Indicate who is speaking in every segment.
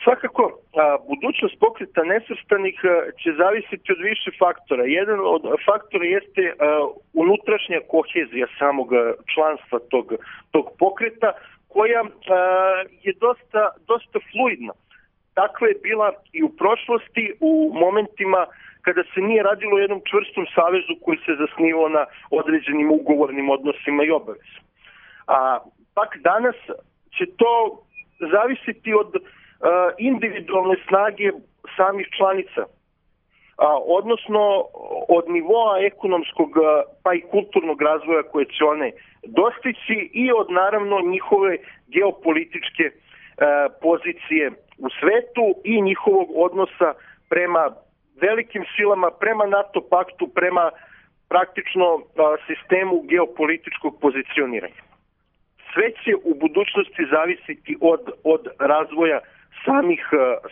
Speaker 1: Svakako, budućnost Pokreta nesvrstanih će zavisiti od više faktora. Jedan od faktora jeste unutrašnja kohezija samog članstva tog pokreta, koja je dosta fluidna. Takva je bila i u prošlosti, u momentima kada se nije radilo o jednom čvrstom savezu koji se zasnivao na određenim ugovornim odnosima i obavezama. Pak danas će to zavisiti od individualne snage samih članica, odnosno od nivoa ekonomskog pa i kulturnog razvoja koje će one dostići i od naravno njihove geopolitičke pozicije u svetu i njihovog odnosa prema velikim silama, prema NATO paktu, prema praktično sistemu geopolitičkog pozicioniranja. Sve će u budućnosti zavisiti od razvoja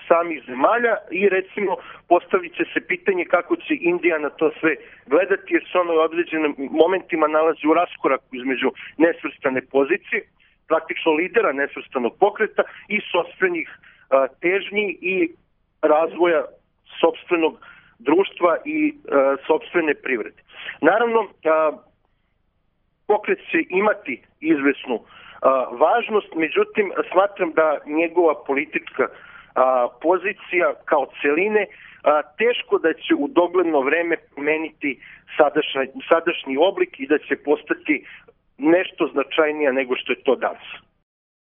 Speaker 1: samih zemalja i recimo postavit će se pitanje kako će Indija na to sve gledati, jer se ono u određenim momentima nalazi u raskoraku između nesvrstane pozicije, praktično lidera nesvrstanog pokreta i sopstvenih težnji i razvoja sopstvenog društva i sopstvene privrede. Naravno, pokret će imati izvesnu važnost, međutim, smatram da njegova politička pozicija kao celine teško da će u dogledno vreme promeniti sadašnji oblik i da će postati nešto značajnija nego što je to danas.